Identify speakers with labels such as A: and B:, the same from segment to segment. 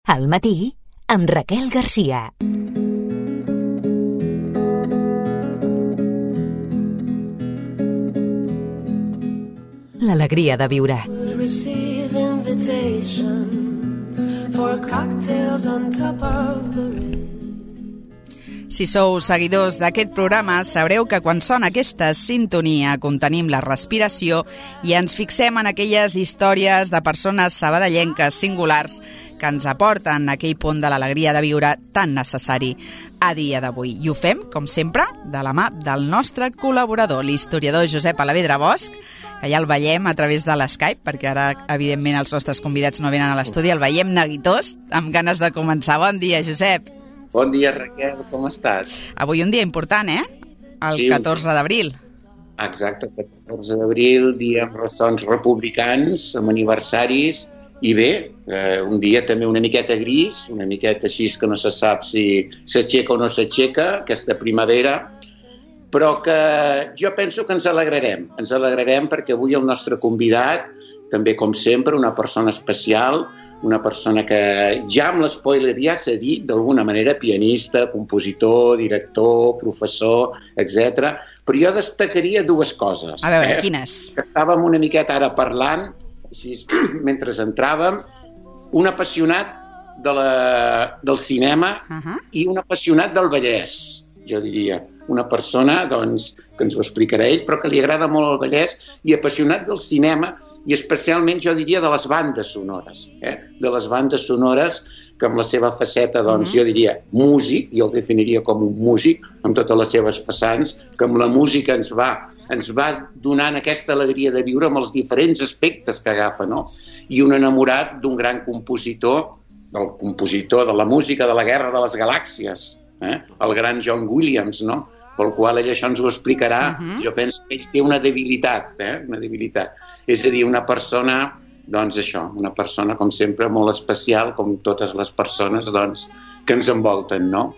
A: Al matí, amb Raquel Garcia. L'alegria de viure.
B: Si sou seguidors d'aquest programa, sabreu que quan sona aquesta sintonia contenim la respiració i ens fixem en aquelles històries de persones sabadellenques singulars que ens aporten aquell punt de l'alegria de viure tan necessari a dia d'avui. I ho fem, com sempre, de la mà del nostre col·laborador, l'historiador Josep Alavedra Bosch, que ja el veiem a través de l'Skype, perquè ara, evidentment, els nostres convidats no venen a l'estudi, el veiem neguitós, amb ganes de començar. Bon dia, Josep.
C: Bon dia, Raquel, com estàs?
B: Avui un dia important, El 14 d'abril.
C: Exacte, el 14 d'abril, dia amb ressons republicans, amb aniversaris, i bé, un dia també una miqueta gris, una miqueta així que no se sap si s'aixeca o no s'aixeca, aquesta primavera, però que jo penso que ens alegrarem perquè avui el nostre convidat, també com sempre, una persona especial, una persona que ja amb l'espoiler ja s'ha dit, d'alguna manera, pianista, compositor, director, professor, etc. Però jo destacaria dues coses.
B: A veure, quines?
C: Que estàvem una miqueta ara parlant, així, mentre entràvem, un apassionat del cinema i un apassionat del Vallès, jo diria. Una persona, doncs, que ens ho explicarà ell, però que li agrada molt el Vallès i apassionat del cinema i especialment, jo diria, de les bandes sonores. De les bandes sonores que amb la seva faceta, doncs, jo diria músic, jo el definiria com un músic, amb totes les seves vessants, que amb la música ens va donant aquesta alegria de viure amb els diferents aspectes que agafa, no? I un enamorat d'un gran compositor, del compositor de la música de la Guerra de les Galàxies, el gran John Williams, no? Pel qual ell això ens ho explicarà. Jo penso que ell té una debilitat, una debilitat. És a dir, una persona, doncs això, una persona, com sempre, molt especial, com totes les persones, doncs, que ens envolten, no?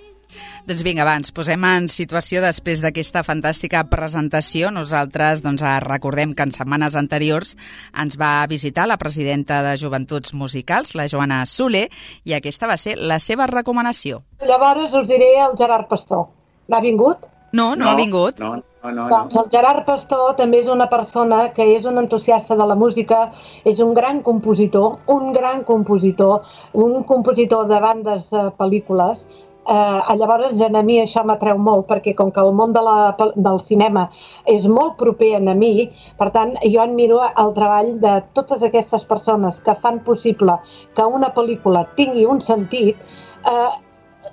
B: Doncs vinga, va, ens posem en situació després d'aquesta fantàstica presentació. Nosaltres doncs, recordem que en setmanes anteriors ens va visitar la presidenta de Joventuts Musicals, la Joana Soler, i aquesta va ser la seva recomanació.
D: Llavors us diré el Gerard Pastor. L'ha vingut?
B: No ha vingut.
C: No.
D: Doncs el Gerard Pastor també és una persona que és un entusiasta de la música, és un gran compositor, un compositor de bandes pel·lícules. Llavors a mi això m'atreu molt, perquè com que el món del cinema és molt proper a mi, per tant jo admiro el treball de totes aquestes persones que fan possible que una pel·lícula tingui un sentit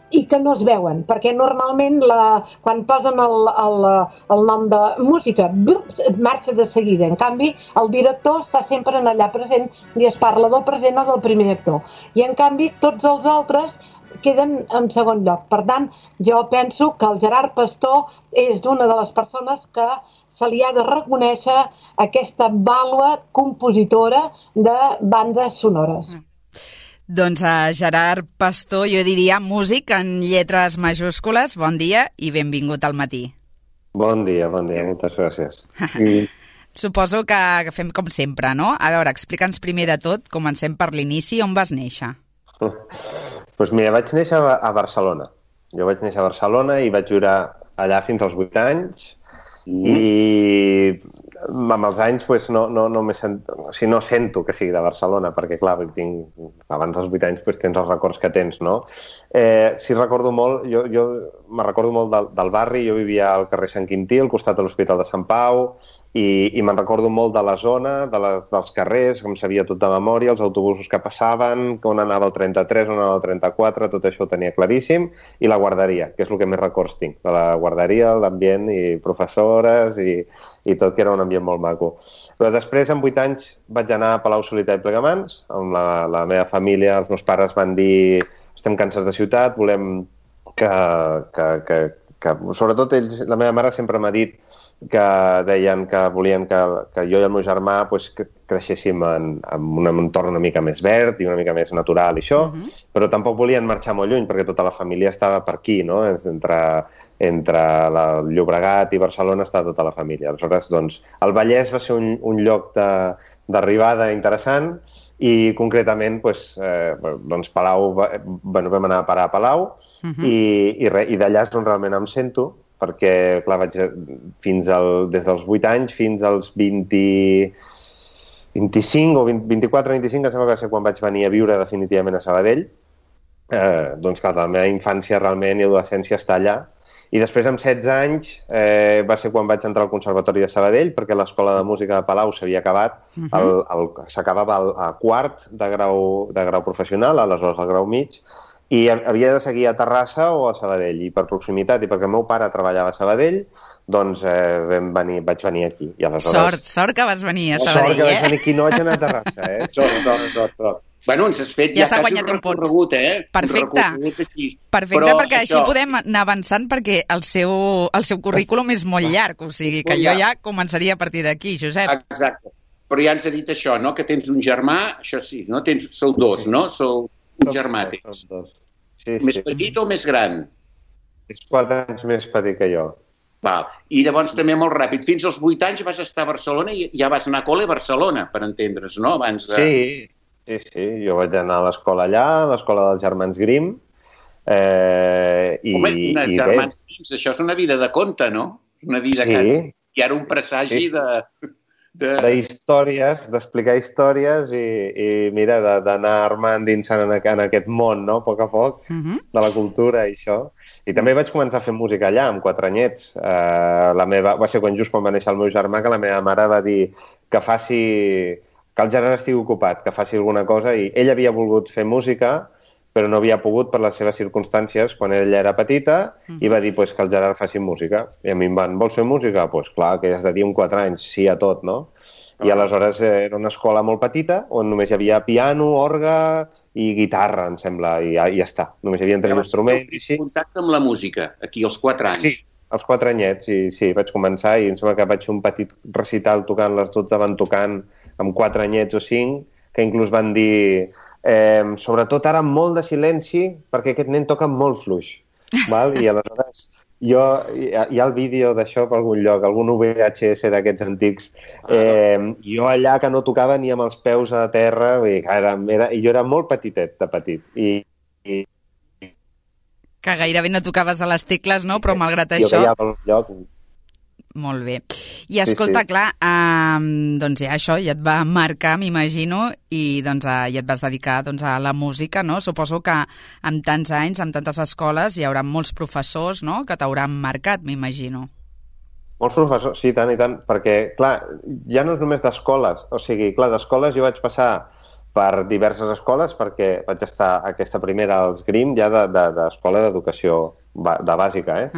D: i que no es veuen, perquè normalment quan posen el nom de música marxa de seguida. En canvi, el director està sempre allà present i es parla del present o del primer actor. I en canvi, tots els altres queden en segon lloc. Per tant, jo penso que el Gerard Pastor és una de les persones que se li ha de reconèixer aquesta vàlua compositora de bandes sonores.
B: Doncs a Gerard Pastor, jo diria músic en lletres majúscules. Bon dia i benvingut al matí.
E: Bon dia, moltes gràcies.
B: Suposo que fem com sempre, no? A veure, explica'ns primer de tot, comencem per l'inici, on vas néixer?
E: Doncs mira, vaig néixer a Barcelona. Jo vaig néixer a Barcelona i vaig viure allà fins als 8 anys i amb els anys no sento que sigui de Barcelona, perquè clar, abans dels 8 anys tens els records que tens, no? Sí recordo molt, jo me recordo molt del barri, jo vivia al carrer Sant Quintí, al costat de l'Hospital de Sant Pau, i me'n recordo molt de la zona, dels carrers, com sabia tot de memòria, els autobusos que passaven, on anava el 33, on anava el 34, tot això ho tenia claríssim, i la guarderia, que és el que més records tinc, de la guarderia, l'ambient i professores i tot, que era un ambient molt maco. Però després, amb 8 anys, vaig anar a Palau-solità i Plegamans, amb la meva família, els meus pares van dir estem cansats de ciutat, volem que sobretot ells, la meva mare sempre m'ha dit que deien que volien que jo i el meu germà creixéssim en un entorn una mica més verd i una mica més natural i això, però tampoc volien marxar molt lluny perquè tota la família estava per aquí, no? Entre el Llobregat i Barcelona estava tota la família. Aleshores, doncs, el Vallès va ser un lloc d'arribada interessant i concretament doncs Palau, vam anar a parar a Palau i d'allà és on realment em sento, perquè clar, vaig des dels 8 anys fins als 25 o 24 o 25, em sembla que va ser quan vaig venir a viure definitivament a Sabadell. Doncs clar, la meva infància realment i adolescència està allà. I després, amb 16 anys, va ser quan vaig entrar al Conservatori de Sabadell, perquè l'escola de música de Palau s'havia acabat, s'acabava a quart de grau professional, aleshores al grau mig, i havia de seguir a Terrassa o a Sabadell. I per proximitat, i perquè el meu pare treballava a Sabadell, doncs vaig venir aquí. I aleshores...
B: Sort que vas venir a Sabadell,
E: Sort que vaig venir aquí, no vaig anar a Terrassa,
C: Sort. Bueno, ens has fet
B: ja s'ha guanyat un recorregut, Perfecte, perquè així podem anar avançant, perquè el seu currículum és molt llarg, o sigui que jo ja començaria a partir d'aquí, Josep.
C: Exacte, però ja ens ha dit això, no?, que tens un germà, això sí, no? Sou dos, no? Sou un germà, tens. Més petit o més gran?
E: És 4 anys més petit que jo.
C: Val. I llavors també molt ràpid, fins als 8 anys vas estar a Barcelona i ja vas anar a col·le a Barcelona, per entendre's, no? Abans de...
E: Sí, jo vaig anar a l'escola allà, a l'escola dels germans Grimm,
C: germans Grimm, això és una vida de conte, no? Una vida que hi ha un presagi
E: d'històries, d'explicar històries i mira, d'anar armant dinsant en aquest món, no?, a poc, de la cultura i això. I també vaig començar a fer música allà, amb 4 anyets. Va ser just quan va néixer el meu germà, que la meva mare va dir que el Gerard estigui ocupat, que faci alguna cosa, i ell havia volgut fer música, però no havia pogut per les seves circumstàncies quan ella era petita, i va dir que el Gerard faci música. I a mi em van, vols fer música? Doncs clar, que has de dir amb 4 anys, sí a tot, no? I aleshores era una escola molt petita, on només hi havia piano, orgue i guitarra, em sembla, i ja està. Només hi havia 3 instruments.
C: Contacte amb la música, aquí als 4 anys.
E: Sí, als 4 anyets, sí, vaig començar, i em sembla que vaig fer un petit recital tocant, les 12 van tocant amb 4 anyets o 5, que inclús van dir sobretot ara amb molt de silenci, perquè aquest nen toca molt fluix. Val? I aleshores hi ha el vídeo d'això per algun lloc, algun VHS d'aquests antics, jo allà que no tocava ni amb els peus a terra, i jo era molt petitet de petit.
B: Que gairebé no tocaves a les tecles, no? Però malgrat això...
E: Jo veia pel lloc...
B: Molt bé. I escolta, clar, doncs ja això ja et va marcar, m'imagino, i doncs ja et vas dedicar a la música, no? Suposo que amb tants anys, amb tantes escoles, hi haurà molts professors, no?, que t'hauran marcat, m'imagino.
E: Molts professors, sí, tant i tant, perquè, clar, ja no és només d'escoles, o sigui, clar, d'escoles jo vaig passar per diverses escoles, perquè vaig estar aquesta primera als Grimm, ja d'escola d'educació de bàsica,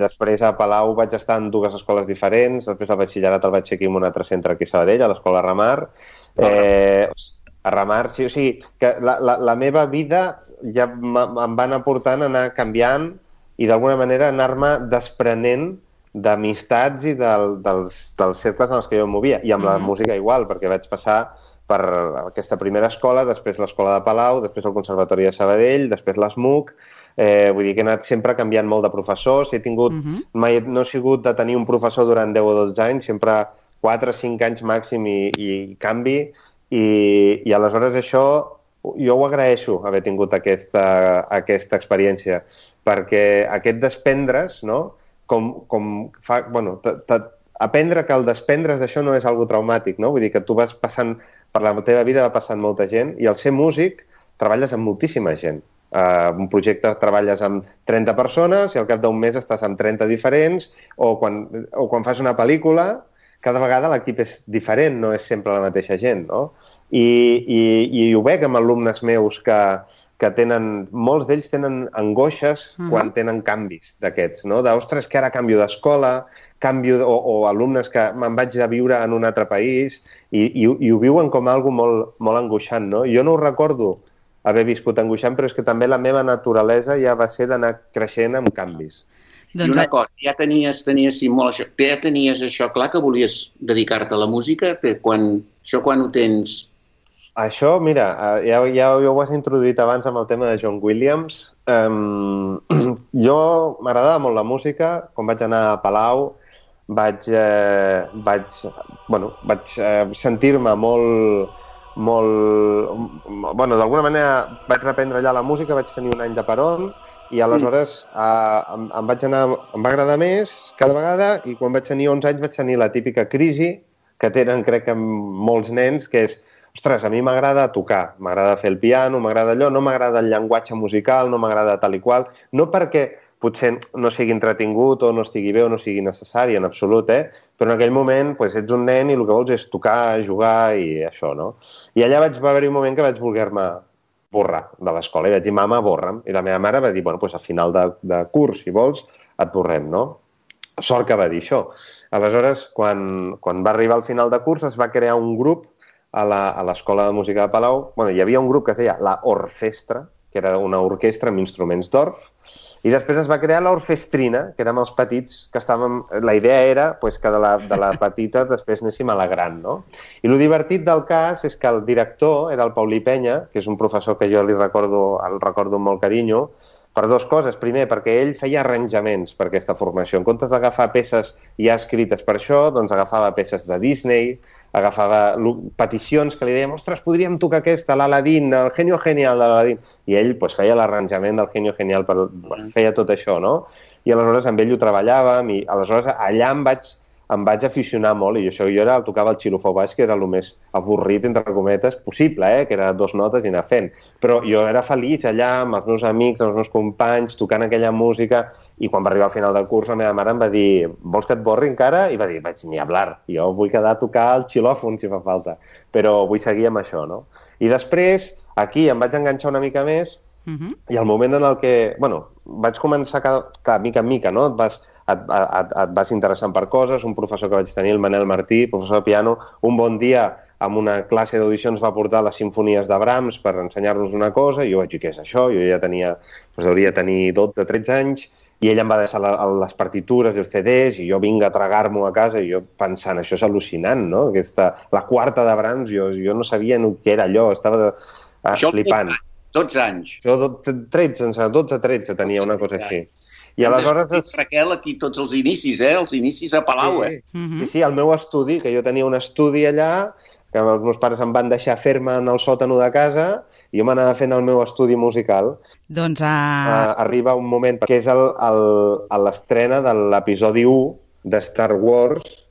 E: Després a Palau vaig estar en 2 escoles diferents, després el batxillerat el vaig fer aquí en un altre centre aquí a Sabadell, a l'escola Ramar. A Ramar, sí, o sigui, que la meva vida ja em van aportant a anar canviant i d'alguna manera anar-me desprenent d'amistats i dels cercles en els que jo em movia. I amb la música igual, perquè vaig passar per aquesta primera escola, després l'escola de Palau, després el Conservatori de Sabadell, després l'ESMUC. Vull dir que he anat sempre canviant molt de professors. Mai no he sigut de tenir un professor durant 10 o 12 anys, sempre 4 o 5 anys màxim i canvi. I aleshores això jo ho agraeixo, haver tingut aquesta experiència, perquè aquest desprendre's, no? Aprendre que el desprendre's d'això no és algo traumàtic, no? Vull dir que tu vas passant, per la teva vida va passant molta gent, i al ser músic treballes amb moltíssima gent. Un projecte treballes amb 30 persones i al cap d'un mes estàs amb 30 diferents, o quan fas una pel·lícula, cada vegada l'equip és diferent, no és sempre la mateixa gent, no? I ho veig amb alumnes meus que tenen, molts d'ells tenen angoixes quan tenen canvis d'aquests, no? Ostres, que ara canvio d'escola, o alumnes que me'n vaig a viure en un altre país i ho viuen com algo molt, molt angoixant, no? Jo no ho recordo haver viscut angoixant, però és que també la meva naturalesa ja va ser d'anar creixent amb canvis.
C: I una cosa, ja tenies això clar, que volies dedicar-te a la música? Quan ho tens?
E: Això, mira, ja ho has introduït abans amb el tema de John Williams. Jo m'agradava molt la música. Quan vaig anar a Palau vaig sentir-me Bueno, d'alguna manera vaig reprendre allà la música, vaig tenir un any de peron, i aleshores em va agradar més cada vegada, i quan vaig tenir 11 anys vaig tenir la típica crisi que tenen, crec que molts nens, que és, ostres, a mi m'agrada tocar, m'agrada fer el piano, m'agrada allò, no m'agrada el llenguatge musical, no m'agrada tal i qual, no perquè potser no sigui entretingut o no estigui bé o no sigui necessari, en absolut, però en aquell moment ets un nen i el que vols és tocar, jugar i això, no? I allà va haver-hi un moment que vaig voler-me borrar de l'escola i vaig dir, mama, borra'm. I la meva mare va dir, bueno, a final de curs, si vols, et borrem, no? Sort que va dir això. Aleshores, quan va arribar al final de curs, es va crear un grup a l'Escola de Música de Palau. Bueno, hi havia un grup que es deia la Orfestra, que era una orquestra amb instruments d'orf, i després es va crear l'Orfestrina, que érem els petits, que estàvem... La idea era que de la petita després anéssim a la gran, no? I el divertit del cas és que el director era el Paulí Penya, que és un professor que jo el recordo amb molt carinyo, per dues coses. Primer, perquè ell feia arranjaments per aquesta formació. En comptes d'agafar peces ja escrites per això, doncs agafava peces de Disney, agafava peticions que li dèiem, ostres, podríem tocar aquesta, l'Aladín, el Genio Genial de l'Aladín. I ell feia l'arranjament del Genio Genial, feia tot això, no? I aleshores amb ell ho treballàvem, i aleshores allà em vaig aficionar molt, i jo tocava el xilofó baix, que era el més avorrit, entre cometes, possible, que era 2 notes i anar fent. Però jo era feliç allà, amb els meus amics, amb els meus companys, tocant aquella música, i quan va arribar al final del curs la meva mare em va dir, vols que et borri encara? I va dir, vaig ni hablar, jo vull quedar a tocar el xilòfon si fa falta, però vull seguir amb això, no? I després, aquí em vaig enganxar una mica més, i al moment en el que, vaig començar mica en mica, no? Et vas interessant per coses, un professor que vaig tenir, el Manel Martí, professor de piano, un bon dia amb una classe d'audició ens va portar les simfonies de Brahms per ensenyar-nos una cosa, i jo vaig dir, què és això? Jo ja hauria de tenir 12-13 anys, i ell em va deixar les partitures i els CDs, i jo vinc a tragar-m'ho a casa, i jo pensant, això és al·lucinant, no? La quarta de Brahms, jo no sabia què era allò, estava flipant.
C: 12 anys.
E: Jo 12-13 tenia, una cosa així. I aleshores...
C: Raquel, aquí tots els inicis, els inicis a Palau,
E: Sí, el meu estudi, que jo tenia un estudi allà, que els meus pares em van deixar fer-me en el sòtano de casa, i jo m'anava fent el meu estudi musical.
B: Doncs
E: arriba un moment, que és l'estrena de l'episodi 1 de Star Wars,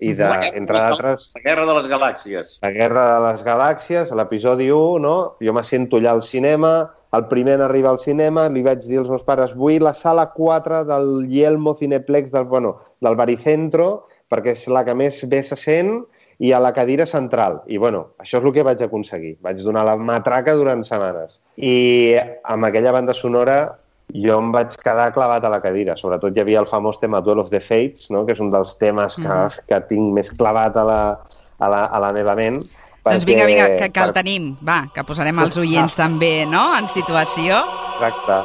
E: i entre d'altres...
C: La Guerra de les Galàxies.
E: La Guerra de les Galàxies, l'episodi 1, no? Jo me sento allà al cinema, el primer en arribar al cinema, li vaig dir als meus pares, vull la sala 4 del Yelmo Cineplex del Baricentro, perquè és la que més bé se sent, i a la cadira central. I, això és el que vaig aconseguir. Vaig donar la matraca durant setmanes. I amb aquella banda sonora jo em vaig quedar clavat a la cadira. Sobretot hi havia el famós tema Duel of the Fates, no? Que és un dels temes que tinc més clavat a la meva ment.
B: Doncs vinga, que el tenim. Va, que posarem els oients també, no?, en situació.
E: Exacte.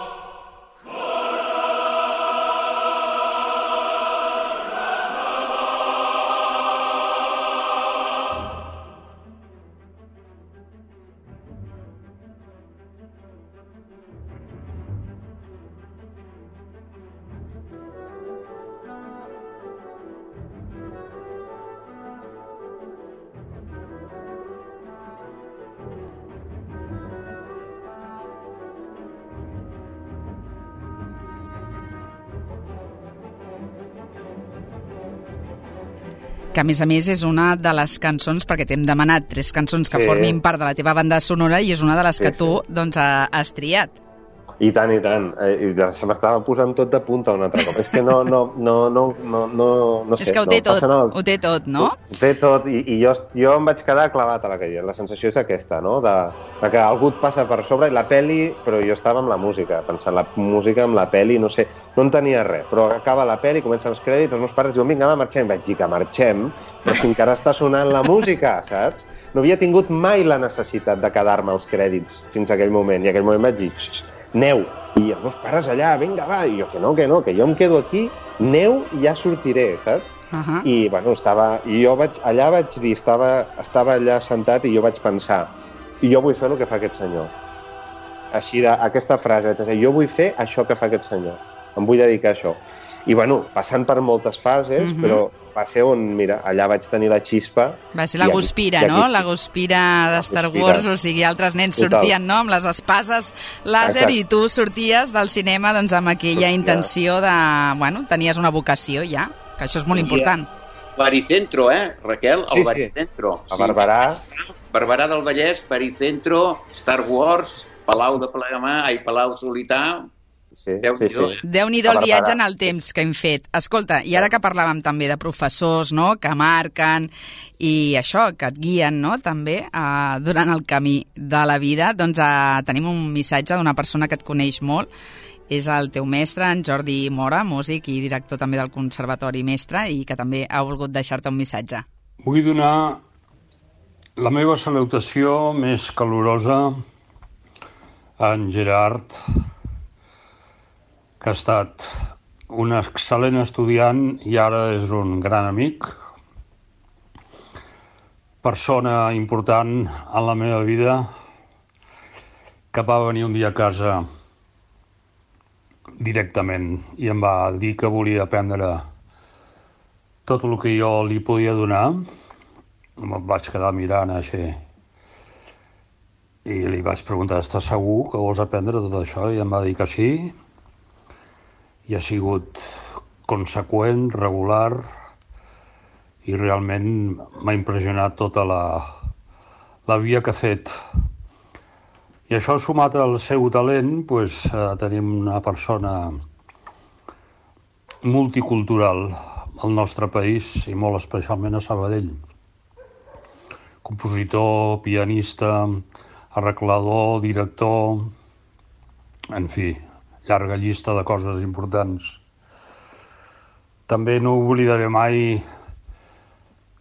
B: Que a més és una de les cançons, perquè t'hem demanat 3 cançons que formin part de la teva banda sonora, i és una de les que tu has triat.
E: I tant, i tant. Se m'estava posant tot de punta un altre cop. És que no sé.
B: És que ho té tot, no?
E: Ho té tot, i jo em vaig quedar clavat a la cadira. La sensació és aquesta, no?, de que algú et passa per sobre, i la peli, però jo estava amb la música, pensant la música amb la peli, no sé, no entenia res, però acaba la peli, comencen els crèdits, els meus pares diuen, vinga, marxem. Vaig dir que marxem, però si encara està sonant la música, saps? No havia tingut mai la necessitat de quedar-me als crèdits fins a aquell moment, i en aquell moment vaig dir, neu, i els meus pares allà, vinga, va, i jo que no, que jo em quedo aquí, neu i ja sortiré, saps? I, i jo vaig dir, estava allà sentat i jo vaig pensar, i jo vull fer el que fa aquest senyor. Així, aquesta frase, jo vull fer això que fa aquest senyor, em vull dedicar a això. I, bueno, passant per moltes fases, però va ser on, mira, allà vaig tenir la xispa.
B: Va ser la Guspira, no? La Guspira de Star Wars, o sigui, altres nens sortien, no?, amb les espases làser, i tu sorties del cinema doncs amb aquella intenció de, bueno, tenies una vocació ja, que això és molt important.
C: Baricentro, Raquel? El Baricentro.
E: A Barberà.
C: Barberà del Vallès, Baricentro, Star Wars, Palau de Plegamà, Palau Solità.
B: Déu-n'hi-do el viatge en el temps que hem fet. Escolta, i ara que parlàvem també de professors, no?, que marquen i això, que et guien, no?, també durant el camí de la vida, doncs tenim un missatge d'una persona que et coneix molt. És el teu mestre, en Jordi Mora, músic i director també del Conservatori Mestre, i que també ha volgut deixar-te un missatge.
F: Vull donar la meva salutació més calorosa a en Gerard, que ha estat un excel·lent estudiant i ara és un gran amic, persona important en la meva vida, que va venir un dia a casa directament i em va dir que volia aprendre tot el que jo li podia donar. Me'l vaig quedar mirant així i li vaig preguntar: estàs segur que vols aprendre tot això? I em va dir que sí. I ha sigut conseqüent, regular, i realment m'ha impressionat tota la via que ha fet. I això, sumat al seu talent, doncs, tenim una persona multicultural al nostre país i molt especialment a Sabadell. Compositor, pianista, arreglador, director, en fi, llarga llista de coses importants. També no oblidaré mai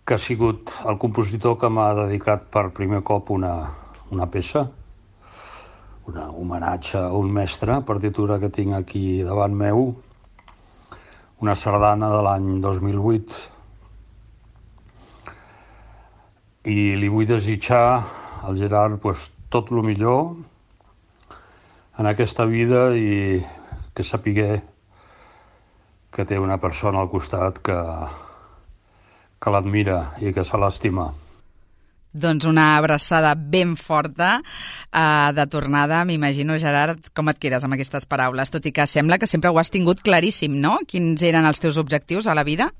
F: que ha sigut el compositor que m'ha dedicat per primer cop una peça, un homenatge a un mestre, partitura que tinc aquí davant meu, una sardana de l'any 2008. I li vull desitjar al Gerard tot el millor en aquesta vida i que sapigué que té una persona al costat que l'admira i que se l'estima.
B: Doncs una abraçada ben forta de tornada. M'imagino, Gerard, com et quedes amb aquestes paraules, tot i que sembla que sempre ho has tingut claríssim, no?, quins eren els teus objectius a la vida?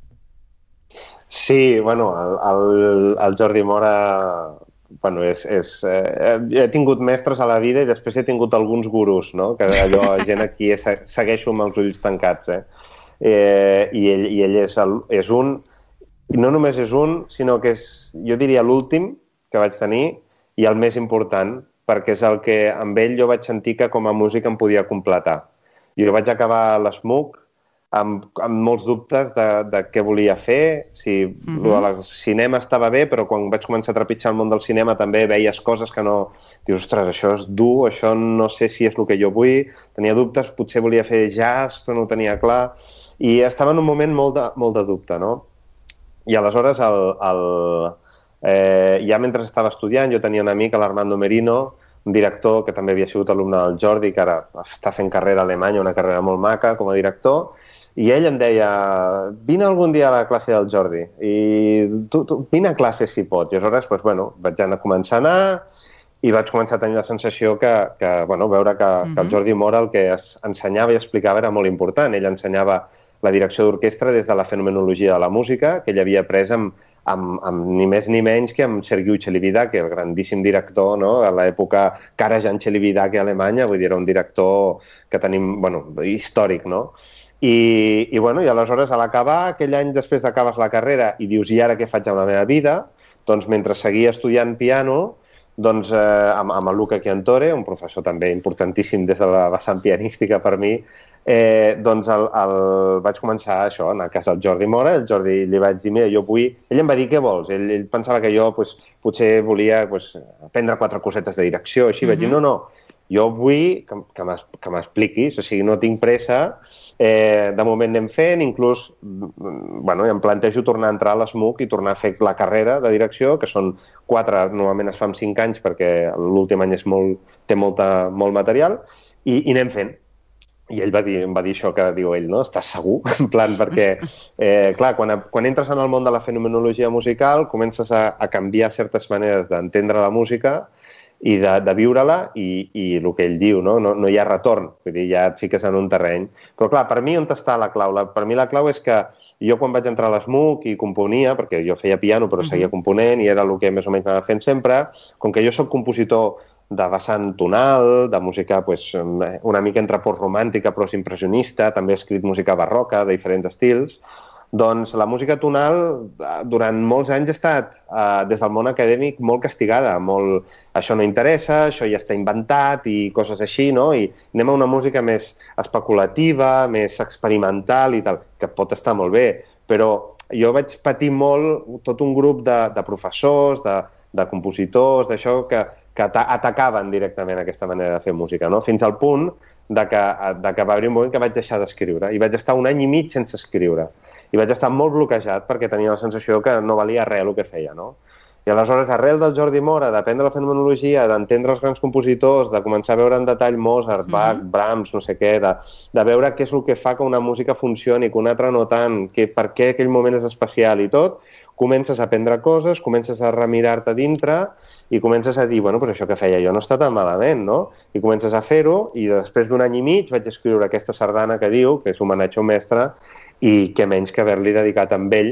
E: Sí, bueno, el Jordi Mora... Bueno, he tingut mestres a la vida i després he tingut alguns gurus, no?, que allò, gent aquí segueixo amb els ulls tancats, I ell és un, i no només és un, sinó que és, jo diria, l'últim que vaig tenir i el més important, perquè és el que amb ell jo vaig sentir que com a músic em podia completar. Jo vaig acabar l'SMUC amb molts dubtes de què volia fer, si el cinema estava bé, però quan vaig començar a trepitjar el món del cinema també veies coses que no... Dius, ostres, això és dur, això no sé si és el que jo vull, tenia dubtes, potser volia fer jazz, però no ho tenia clar, i estava en un moment molt de dubte, no? I aleshores, ja mentre estava estudiant, jo tenia un amic, l'Armando Merino, un director que també havia sigut alumne del Jordi, que ara està fent carrera a Alemanya, una carrera molt maca com a director, i ell em deia: vine algun dia a la classe del Jordi i tu vine a classe si pots. I aleshores, vaig començar a anar i vaig començar a tenir la sensació que veure que el Jordi Mora el que ensenyava i explicava era molt important. Ell ensenyava la direcció d'orquestra des de la fenomenologia de la música, que ell havia après amb ni més ni menys que amb Sergiu Celibidache, el grandíssim director, no?, a l'època Karajan Celibidache a Alemanya, vull dir, era un director que tenim, històric, no? I aleshores, a l'acabar, aquell any després d'acabar la carrera, i dius, i ara què faig amb la meva vida? Doncs mentre seguia estudiant piano, amb el Luca Chiantore, un professor també importantíssim des de la vessant pianística per mi, vaig començar això, a anar a casa del Jordi Mora. El Jordi li vaig dir, mira, jo vull... Ell em va dir, què vols? Ell pensava que jo potser volia aprendre 4 cosetes de direcció, així. Vaig dir, no, jo vull que m'expliquis, o sigui, no tinc pressa, de moment anem fent, inclús em plantejo tornar a entrar a l'SMUC i tornar a fer la carrera de direcció, que són 4, normalment es fa en 5 anys perquè l'últim any té molt material, i anem fent. I ell em va dir això que diu ell, no? Estàs segur? En plan, perquè, clar, quan entres en el món de la fenomenologia musical, comences a canviar certes maneres d'entendre la música i de viure-la, i el que ell diu, no hi ha retorn, vull dir, ja et fiques en un terreny. Però clar, per mi on està la clau? Per mi la clau és que jo quan vaig entrar a l'ESMUC i componia, perquè jo feia piano però seguia component i era el que més o menys anava fent sempre, com que jo soc compositor de vessant tonal, de música una mica entre postromàntica però impressionista, també he escrit música barroca de diferents estils, doncs la música tonal durant molts anys ha estat, des del món acadèmic, molt castigada, molt això no interessa, això ja està inventat i coses així, no? I anem a una música més especulativa, més experimental i tal, que pot estar molt bé, però jo vaig patir molt tot un grup de professors, de compositors, d'això, que atacaven directament aquesta manera de fer música, no? Fins al punt que va haver un moment que vaig deixar d'escriure i vaig estar 1 any i mig sense escriure. I vaig estar molt bloquejat perquè tenia la sensació que no valia res el que feia, no? I aleshores, arrel del Jordi Mora, d'aprendre la fenomenologia, d'entendre els grans compositors, de començar a veure en detall Mozart, Bach, Brahms, no sé què, de veure què és el que fa que una música funcioni, que una altra no tant, per què aquell moment és especial i tot, comences a aprendre coses, comences a remirar-te dintre i comences a dir, bueno, però això que feia jo no està tan malament, no? I comences a fer-ho i després d'1 any i mig vaig escriure aquesta sardana que diu, que és homenatge a un mestre, i què menys que haver-li dedicat amb ell,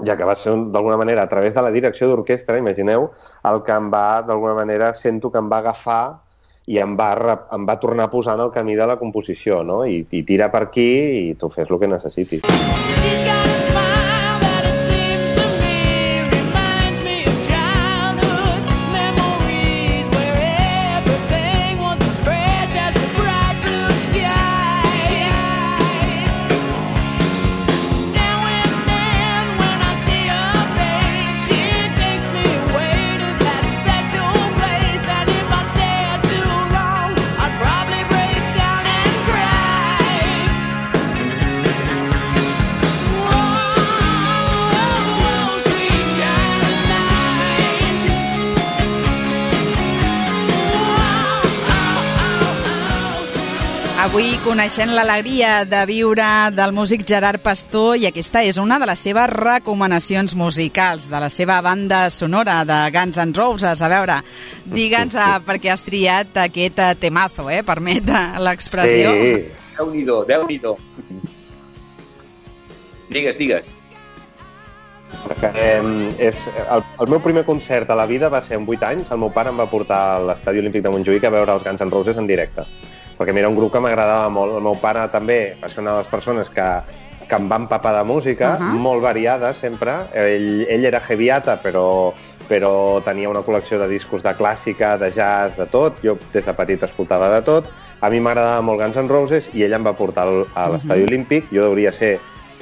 E: ja que va ser d'alguna manera a través de la direcció d'orquestra, imagineu, el que em va, d'alguna manera, sento que em va agafar i em va tornar a posar en el camí de la composició, no? I tira per aquí i tu fes el que necessitis.
B: Avui coneixent l'alegria de viure del músic Gerard Pastor, i aquesta és una de les seves recomanacions musicals, de la seva banda sonora de Guns N' Roses. A veure, digue'ns per què has triat aquest temazo, permet l'expressió.
C: Sí, Déu-n'hi-do, Déu-n'hi-do. Digues.
E: El meu primer concert a la vida va ser amb 8 anys. El meu pare em va portar a l'Estadi Olímpic de Montjuïc a veure els Guns N' Roses en directe, perquè era un grup que m'agradava molt. El meu pare també va ser una de les persones que em va empapar de música, molt variada sempre. Ell era heavyata, però tenia una col·lecció de discos de clàssica, de jazz, de tot. Jo des de petit escoltava de tot. A mi m'agradava molt Guns N' Roses i ell em va portar a l'Estadi Olímpic. Jo hauria ser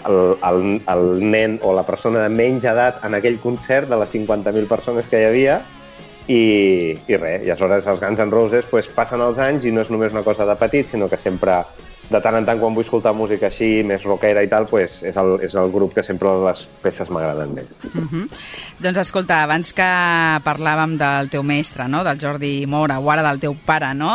E: el nen o la persona de menys edat en aquell concert de les 50.000 persones que hi havia. I res, i aleshores els Guns N' Roses passen els anys i no és només una cosa de petit, sinó que sempre, de tant en tant, quan vull escoltar música així, més rockera i tal, és el grup que sempre les peces m'agraden més.
B: Doncs escolta, abans que parlàvem del teu mestre, no?, del Jordi Mora, o ara del teu pare, no?,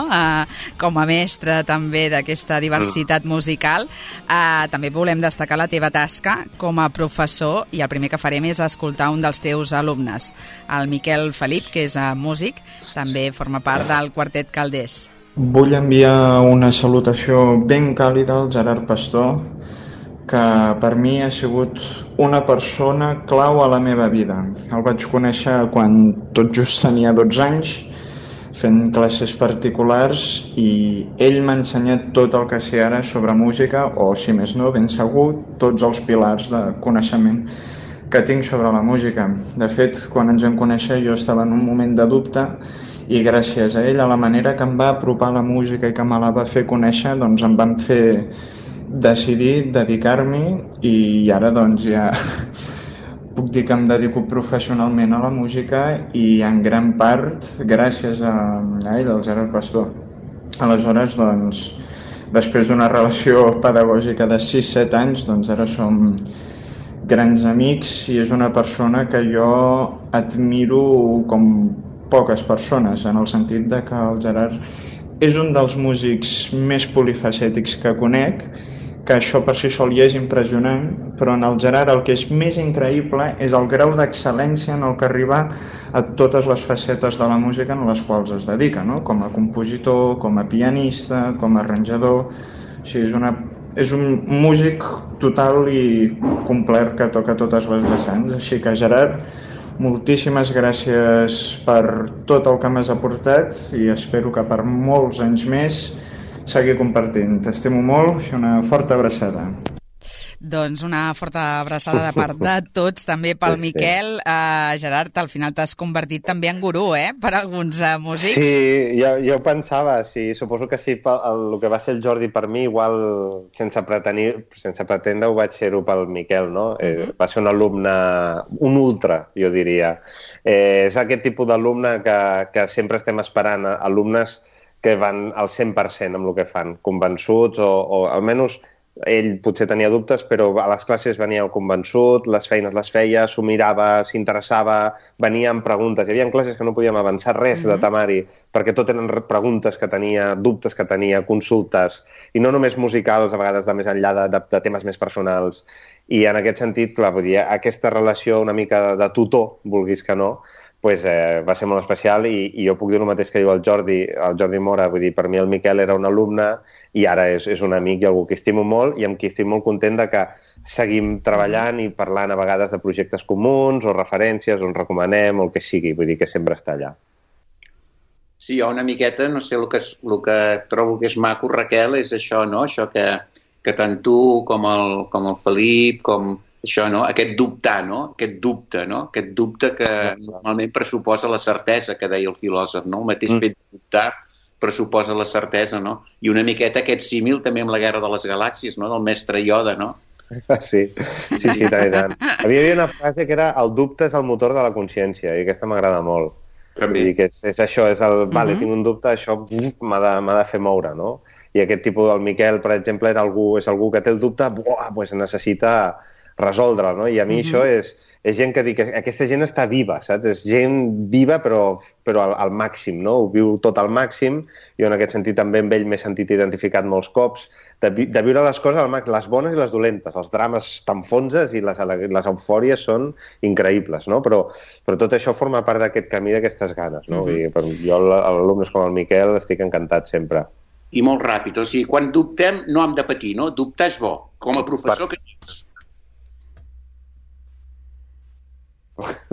B: com a mestre també d'aquesta diversitat musical, també volem destacar la teva tasca com a professor, i el primer que farem és escoltar un dels teus alumnes, el Miquel Felip, que és músic, també forma part del Quartet Calders.
G: Vull enviar una salutació ben càlida al Gerard Pastor, que per mi ha sigut una persona clau a la meva vida. El vaig conèixer quan tot just tenia 12 anys, fent classes particulars, i ell m'ha ensenyat tot el que sé ara sobre música, o, si més no, ben segur, tots els pilars de coneixement que tinc sobre la música. De fet, quan ens vam conèixer jo estava en un moment de dubte, i gràcies a ell, a la manera que em va apropar la música i que me la va fer conèixer, doncs em van fer decidir dedicar-m'hi, i ara doncs ja puc dir que em dedico professionalment a la música, i en gran part gràcies a ell, al Gerard Pastor. Aleshores, doncs, després d'una relació pedagògica de 6-7 anys, doncs ara som grans amics, i és una persona que jo admiro com poques persones, en el sentit de que el Gerard és un dels músics més polifacètics que conec, que això per si sol ja és impressionant, però en el Gerard el que és més increïble és el grau d'excel·lència en el que arriba a totes les facetes de la música en les quals es dedica, no? Com a compositor, com a pianista, com a arranjador. O sigui, és un músic total i complet que toca totes les vessants. Així que, Gerard, moltíssimes gràcies per tot el que m'has aportat i espero que per molts anys més seguir compartint. T'estimo molt i una forta abraçada.
B: Doncs una forta abraçada de part de tots, també pel Miquel. Gerard, al final t'has convertit també en gurú, per alguns músics.
E: Sí, jo pensava, sí, suposo que sí, el que va ser el Jordi per mi, igual sense pretendre ho vaig ser-ho pel Miquel, no? Va ser un alumne, un ultra, jo diria. És aquest tipus d'alumne que sempre estem esperant, alumnes que van al 100% amb el que fan, convençuts o almenys ell potser tenia dubtes, però a les classes venia convençut, les feines les feia, s'ho mirava, s'interessava, venia amb preguntes. Hi havia classes que no podíem avançar res de temari, perquè tot eren preguntes que tenia, dubtes que tenia, consultes, i no només musicals, a vegades de més enllà de temes més personals. I en aquest sentit, clar, vull dir, aquesta relació una mica de tutor, vulguis que no, pues, va ser molt especial i jo puc dir el mateix que diu el Jordi Mora. Vull dir, per mi el Miquel era un alumne i ara és un amic i algú que estimo molt i amb qui estic molt content de que seguim treballant i parlant a vegades de projectes comuns o referències, on recomanem o el que sigui. Vull dir que sempre està allà.
C: Sí, jo una miqueta, no sé, el que trobo que és maco, Raquel, és això, no? Això que tant tu com el Felip, com això, no? Aquest dubtar, no? Aquest dubte que normalment pressuposa la certesa, que deia el filòsof, no? El mateix fet de dubtar pressuposa la certesa, no? I una miqueta aquest símil també amb la Guerra de les Galàxies, no? Del mestre Yoda, no?
E: Sí, tant. Havia una frase que era el dubte és el motor de la consciència i aquesta m'agrada molt. També. Que és això, és el, vale, tinc un dubte, això m'ha de fer moure, no? I aquest tipus del Miquel, per exemple, és algú que té el dubte, pues necessita resoldre'l, no? I a mi això és gent que dic que aquesta gent està viva, saps? És gent viva però al màxim, no? Ho viu tot al màxim. Jo en aquest sentit també amb ell m'he sentit identificat molts cops de viure les coses al màxim, les bones i les dolentes. Els drames t'enfonses i les eufòries són increïbles, no? Però tot això forma part d'aquest camí, d'aquestes ganes, no? I jo, alumnes com el Miquel, estic encantat sempre.
C: I molt ràpid, o sigui, quan dubtem no hem de patir, no? Dubtar és bo. Com a professor que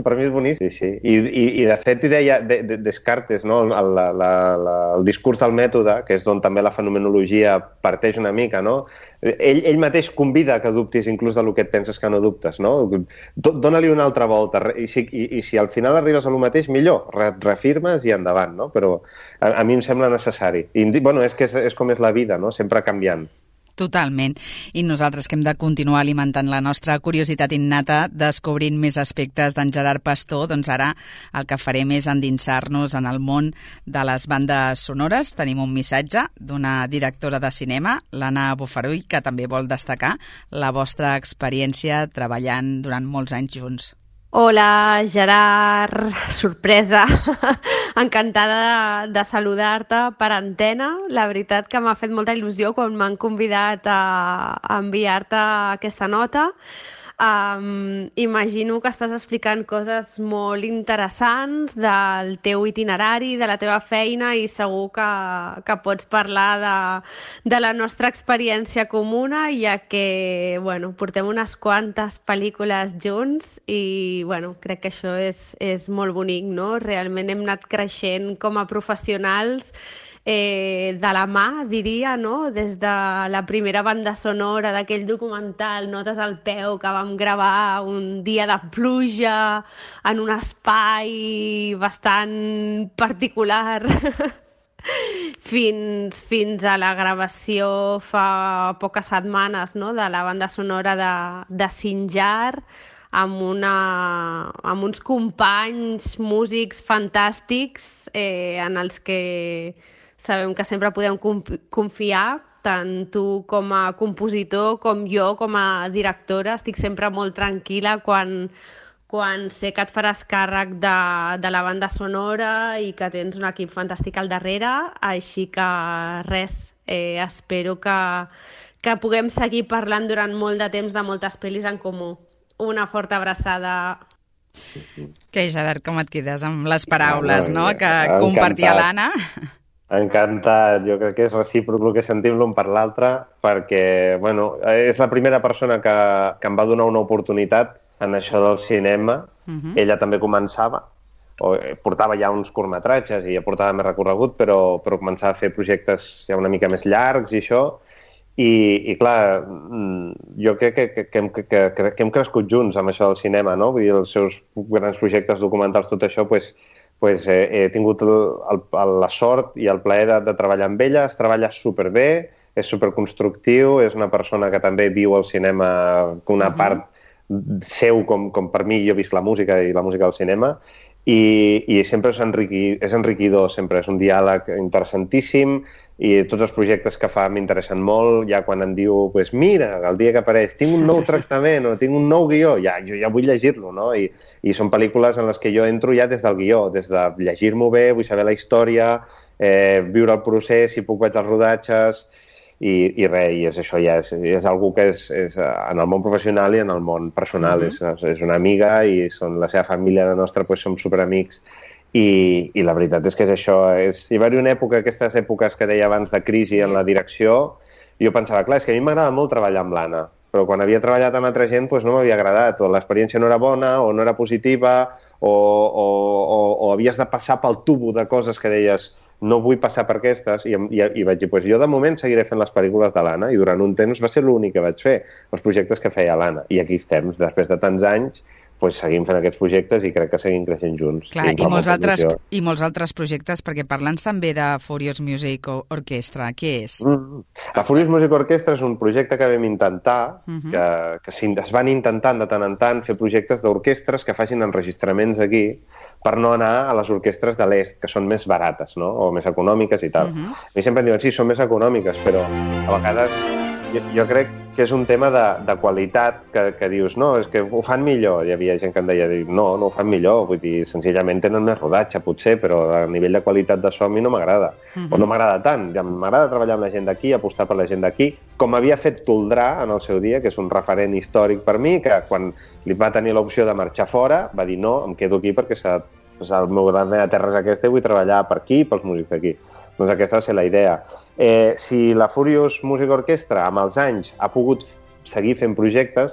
E: per mi és boníssim, sí. I de fet, hi deia Descartes, no? El discurs del mètode, que és d'on també la fenomenologia parteix una mica, no? Ell mateix convida que dubtis inclús del que et penses que no dubtes, no? Dóna-li una altra volta, i si al final arribes a lo mateix, millor, reafirmes i endavant, no? Però a mi em sembla necessari. I, bueno, és com és la vida, no? Sempre canviant.
B: Totalment. I nosaltres que hem de continuar alimentant la nostra curiositat innata descobrint més aspectes d'en Gerard Pastor, doncs ara el que farem és endinsar-nos en el món de les bandes sonores. Tenim un missatge d'una directora de cinema, l'Anna Bofarull, que també vol destacar la vostra experiència treballant durant molts anys junts.
H: Hola, Gerard, sorpresa, encantada de saludar-te per antena. La veritat que m'ha fet molta il·lusió quan m'han convidat a enviar-te aquesta nota. Imagino que estàs explicant coses molt interessants del teu itinerari, de la teva feina i segur que pots parlar de la nostra experiència comuna, ja que portem unes quantes pel·lícules junts i crec que això és molt bonic, no? Realment hem anat creixent com a professionals de la mà, diria, no? Des de la primera banda sonora d'aquell documental Notes al peu que vam gravar un dia de pluja en un espai bastant particular fins a la gravació fa poques setmanes, no? De la banda sonora de Sinjar, amb uns companys músics fantàstics en els que sabem que sempre podem confiar, tant tu com a compositor com jo com a directora. Estic sempre molt tranquil·la quan quan sé que et faràs càrrec de la banda sonora i que tens un equip fantàstic al darrere, així que res, espero que puguem seguir parlant durant molt de temps de moltes pel·lis en comú. Una forta abraçada.
B: Què, Gerard, com et quedes amb les paraules, no? Que compartia l'Anna?
E: Encantat, jo crec que és recíproc el que sentim l'un per l'altre, perquè, bueno, és la primera persona que em va donar una oportunitat en això del cinema. Ella també començava, portava ja uns curtmetratges i ja portava més recorregut, però començava a fer projectes ja una mica més llargs i això, i clar, jo crec que hem crescut junts amb això del cinema, no? Vull dir, els seus grans projectes documentals, tot això, he tingut la sort i el plaer de treballar amb ella. Es treballa superbé, és superconstructiu, és una persona que també viu el cinema com una part seu, com per mi, jo visc la música i la música del cinema, i sempre és enriquidor, sempre és un diàleg interessantíssim, i tots els projectes que fa m'interessen molt. Ja quan em diu, mira, el dia que apareix tinc un nou tractament o tinc un nou guió, jo ja vull llegir-lo, no? I són pel·lícules en les que jo entro ja des del guió, des de llegir-m'ho bé, vull saber la història, viure el procés, si puc vaig als rodatges, i res, i és això, ja és algú que és en el món professional i en el món personal. És una amiga i són la seva família, la nostra, som superamics. I la veritat és que és això. Hi va haver una època, aquestes èpoques que deia abans de crisi en la direcció, jo pensava, clar, és que a mi m'agrada molt treballar amb l'Anna, però quan havia treballat amb altra gent no m'havia agradat, o l'experiència no era bona, o no era positiva, o havies de passar pel tubo de coses que deies no vull passar per aquestes, i vaig dir, jo de moment seguiré fent les pel·lícules de l'Anna, i durant un temps va ser l'únic que vaig fer, els projectes que feia l'Anna, i aquí estem, després de tants anys, seguim fent aquests projectes i crec que seguim creixent junts.
B: Clar, i molts altres projectes, perquè parla'ns també de Furious Music Orchestra, què és?
E: La Furious Music Orchestra és un projecte que vam intentar, que es van intentant de tant en tant fer projectes d'orquestres que facin enregistraments aquí, per no anar a les orquestres de l'est, que són més barates, no? O més econòmiques i tal. A mi sempre em diuen, sí, són més econòmiques, però a vegades jo crec que és un tema de qualitat que dius, no, és que ho fan millor. Hi havia gent que em deia, no ho fan millor, vull dir, senzillament tenen més rodatge, potser, però a nivell de qualitat de so a mi no m'agrada. O no m'agrada tant. M'agrada treballar amb la gent d'aquí, apostar per la gent d'aquí, com havia fet Toldrà en el seu dia, que és un referent històric per mi, que quan li va tenir l'opció de marxar fora, va dir, no, em quedo aquí perquè la meva terra és aquesta i vull treballar per aquí i pels músics d'aquí. Doncs aquesta va ser la idea. Si la Furious Music Orchestra amb els anys ha pogut seguir fent projectes,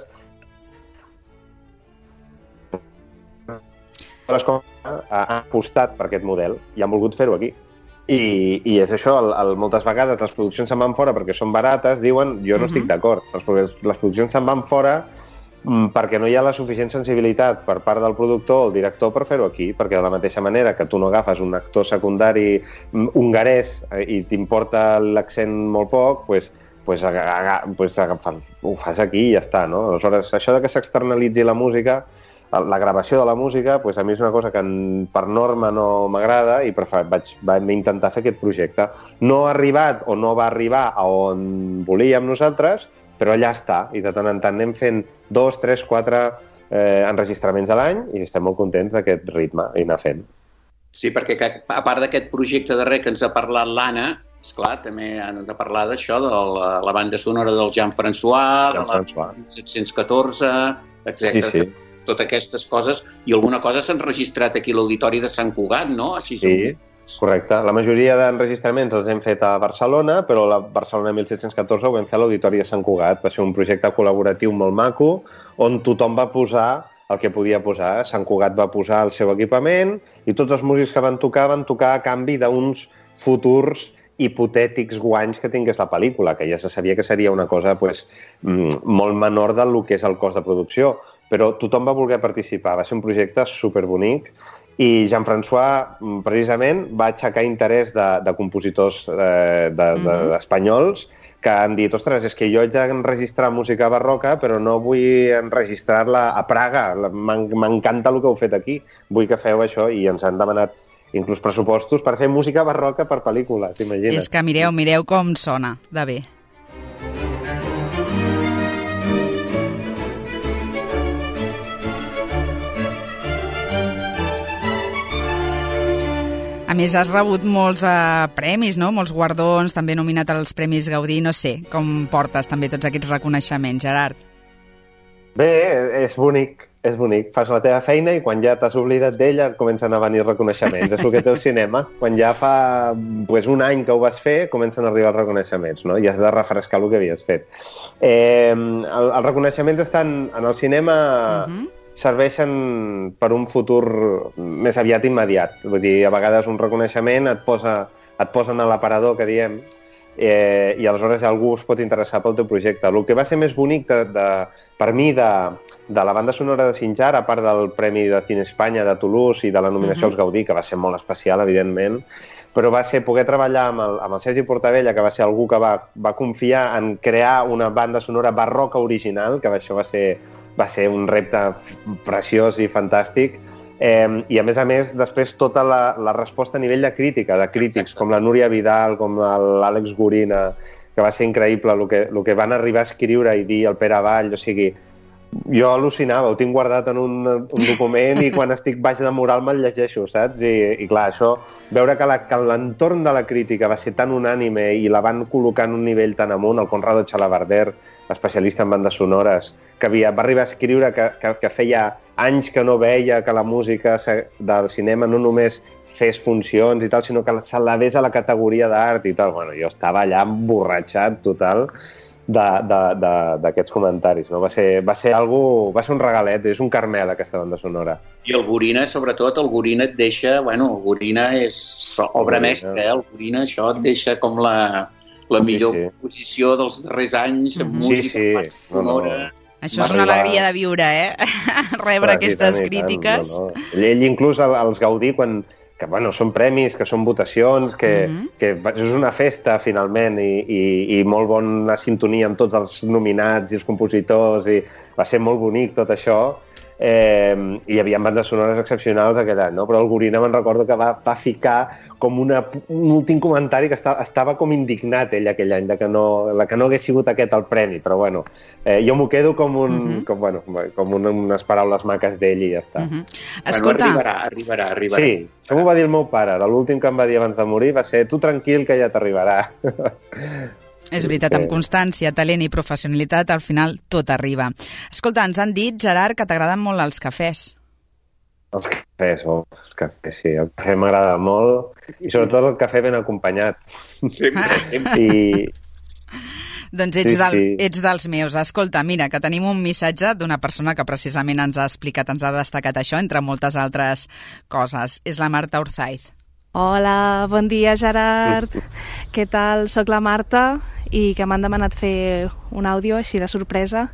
E: han apostat per aquest model i han volgut fer-ho aquí. I és això, moltes vegades les produccions se'n van fora perquè són barates, diuen, jo no estic d'acord, les produccions se'n van fora perquè no hi ha la suficient sensibilitat per part del productor o el director per fer-ho aquí, perquè de la mateixa manera que tu no agafes un actor secundari hongarès i t'importa l'accent molt poc, ho fas aquí i ja està, no? Aleshores, això de que s'externalitzi la música, la gravació de la música, a mi és una cosa que per norma no m'agrada i vaig intentar fer aquest projecte. No ha arribat o no va arribar a on volíem nosaltres, però allà està, i de tant en tant anem fent 2, 3, 4 enregistraments a l'any i estem molt contents d'aquest ritme i anar fent.
C: Sí, perquè a part d'aquest projecte darrer que ens ha parlat l'Anna, esclar, també han de parlar d'això, de la banda sonora del Jean-François, de la 1714, etc.
E: Sí.
C: Totes aquestes coses, i alguna cosa s'ha enregistrat aquí a l'Auditori de Sant Cugat, no?
E: Sí, correcte. La majoria d'enregistraments els hem fet a Barcelona, però la Barcelona 1714 ho vam fer a l'Auditori de Sant Cugat. Va ser un projecte col·laboratiu molt maco, on tothom va posar el que podia posar. Sant Cugat va posar el seu equipament i tots els músics que van tocar a canvi d'uns futurs hipotètics guanys que tingués la pel·lícula, que ja se sabia que seria una cosa molt menor del que és el cost de producció. Però tothom va voler participar. Va ser un projecte superbonic i Jean-François, precisament, va aixecar interès de compositors espanyols que han dit, ostres, és que jo haig d'enregistrar música barroca, però no vull enregistrar-la a Praga. M'encanta el que heu fet aquí. Vull que feu això, i ens han demanat inclús pressupostos per fer música barroca per pel·lícula, t'imagines?
B: És que mireu com sona de bé. A més, has rebut molts premis, no? Molts guardons, també nominat als Premis Gaudí. No sé, com portes també tots aquests reconeixements, Gerard?
E: Bé, és bonic. És bonic, fas la teva feina i quan ja t'has oblidat d'ella comencen a venir reconeixements. És el que té el cinema. Quan ja fa un any que ho vas fer, comencen a arribar els reconeixements, no? I has de refrescar el que havies fet. Els reconeixements estan en el cinema, serveixen per un futur més aviat immediat. Vull dir, a vegades un reconeixement et posen a l'aparador, que diem, i aleshores algú es pot interessar pel teu projecte. El que va ser més bonic per mi de la banda sonora de Sinjar, a part del Premi de Cine Espanya de Toulouse i de la nominació als Gaudí, que va ser molt especial, evidentment, però va ser poder treballar amb el Sergi Portabella, que va ser algú que va confiar en crear una banda sonora barroca original, que això va ser un repte preciós i fantàstic, i a més, després tota la resposta a nivell de crítica, de crítics, com la Núria Vidal, com l'Àlex Gorina, que va ser increïble el que van arribar a escriure i dir el Pere Avall, o sigui, jo al·lucinava, ho tinc guardat en un document i quan estic baix de moral me'l llegeixo, saps? I clar, això, veure que l'entorn de la crítica va ser tan unànime i la van col·locar en un nivell tan amunt, el Conrado Chalabarder, especialista en bandes sonores, que va arribar a escriure que feia anys que no veia que la música del cinema no només fes funcions i tal, sinó que s'elevés a la categoria d'art i tal. Bueno, jo estava allà emborratxat total d'aquests comentaris, no? Va ser un regalet, és un Carmel, aquesta banda sonora.
C: I el Gorina, sobretot, el Gorina et deixa, el Gorina és obra mestra, el Gorina això et deixa com la millor posició dels darrers anys en música sonora.
B: Això és una alegria de viure, rebre aquestes crítiques.
E: Ell inclús els Gaudí, que són premis, que són votacions, que és una festa, finalment, i molt bona sintonia amb tots els nominats i els compositors, i va ser molt bonic tot això, i hi havia bandes sonores excepcionals aquell any, no? Però el Gorina me'n recordo que va ficar com un últim comentari que estava com indignat ell aquell any, que no hagués sigut aquest el premi, però jo m'ho quedo com unes paraules maques d'ell i ja està.
B: Escolta...
C: Arribarà.
E: Sí, això m'ho va dir el meu pare, de l'últim que em va dir abans de morir va ser tu tranquil que ja t'arribarà.
B: És veritat, amb constància, talent i professionalitat, al final tot arriba. Escolta, ens han dit, Gerard, que t'agraden molt els cafès.
E: Els cafès, sí. El cafè m'agrada molt, i sobretot el cafè ben acompanyat.
B: Doncs ets dels meus. Escolta, mira, que tenim un missatge d'una persona que precisament ens ha destacat això, entre moltes altres coses. És la Marta Urzaiz.
I: Hola, bon dia, Gerard. Què tal? Soc la Marta i que m'han demanat fer un àudio així de sorpresa